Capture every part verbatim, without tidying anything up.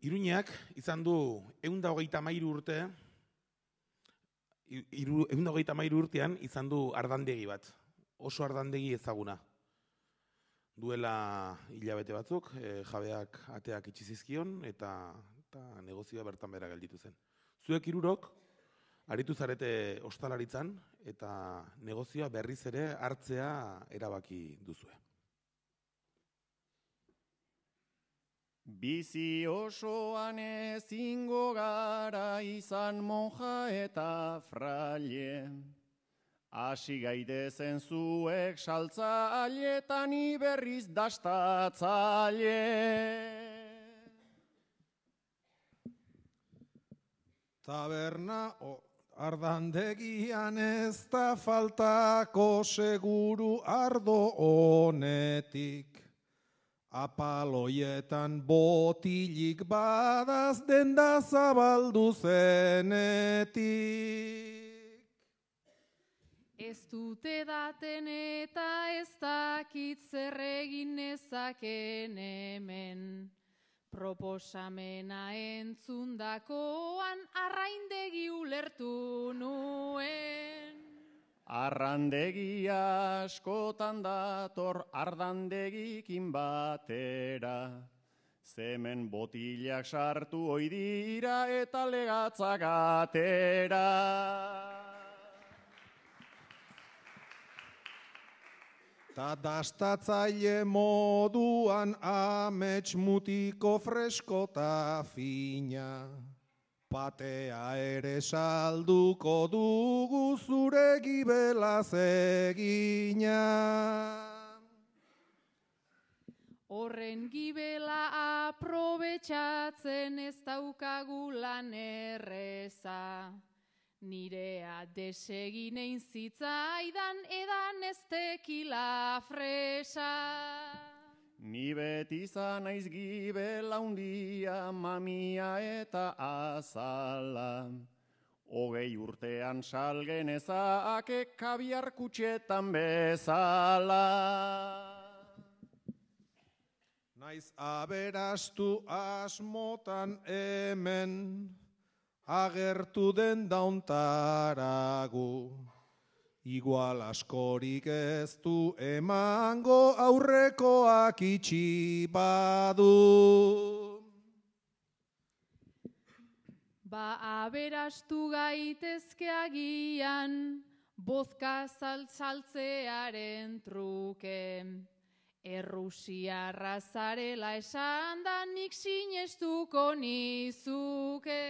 Iruñeak izan du ehun eta hogeita hamairu urte, ehun eta hogeita hamairu urtean izan du ardandegi bat, oso ardandegi ezaguna. Duela hilabete batzuk, e, jabeak ateak itxi zizkion eta, eta negozioa bertan behera gelditu zen. Zuek hirurok aritu zarete ostalaritzan eta negozioa berriz ere hartzea erabaki duzue. Bizi osoan ezingo gara izan monja eta fraile. Hasi gaitezen zuek saltzaile eta ni berriz dastatzaile. Taberna ardandegian ez da faltako seguru ardo honetik. Apaloietan botilik badaz denda zabaldu zenetik. Ez dute daten eta ez dakit zer egin nezaken hemen. Proposamena entzundakoan arraindegi ulertu nuen. Arrandegi askotan dator ardandegikin batera. Zemen botilak sartu ohi dira eta legatzak atera. Ta dastatzaile moduan amets mutiko freskota fina. Patea ere salduko dugu zure gibelaz egina. Horren gibela aprobetxatzen ez daukagu lan erreza. Nirea deseginein zitzaidan edan ez tekila fresa. Ni beti izan naiz gibela hundia, mamia eta azala. Hogei urtean salgen ezake kabiar kutxetan bezala. Naiz aberastu asmotan hemen, agertu den dauntaragu. Igual askorik ez du emango aurrekoak itxi badu. Ba aberastu gaitezke agian, bozka saltzearen truke. Errusiarra zarela esan da nik sinestuko nizuke.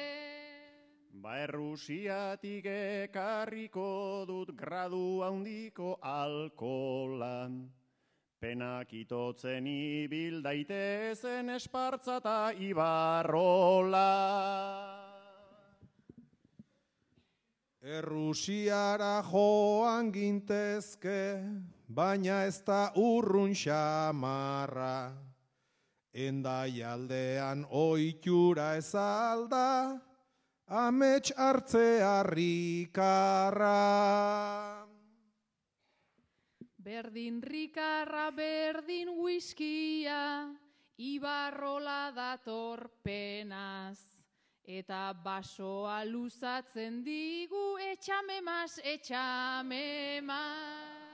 Ba Errusiatik ekarriko dut gradu handiko alkola. Penak itotzen ibil daitezen Espartza eta Ibarrola. Errusiara joan gintezke, baina ez da urrun xamarra. Endaialdean ohitura ez alda, amets hartzea rikarra. Berdin rikarra, berdin whiskia, Ibarrola dator penaz. Eta basoa luzatzen digu, etxame mas, etxame mas.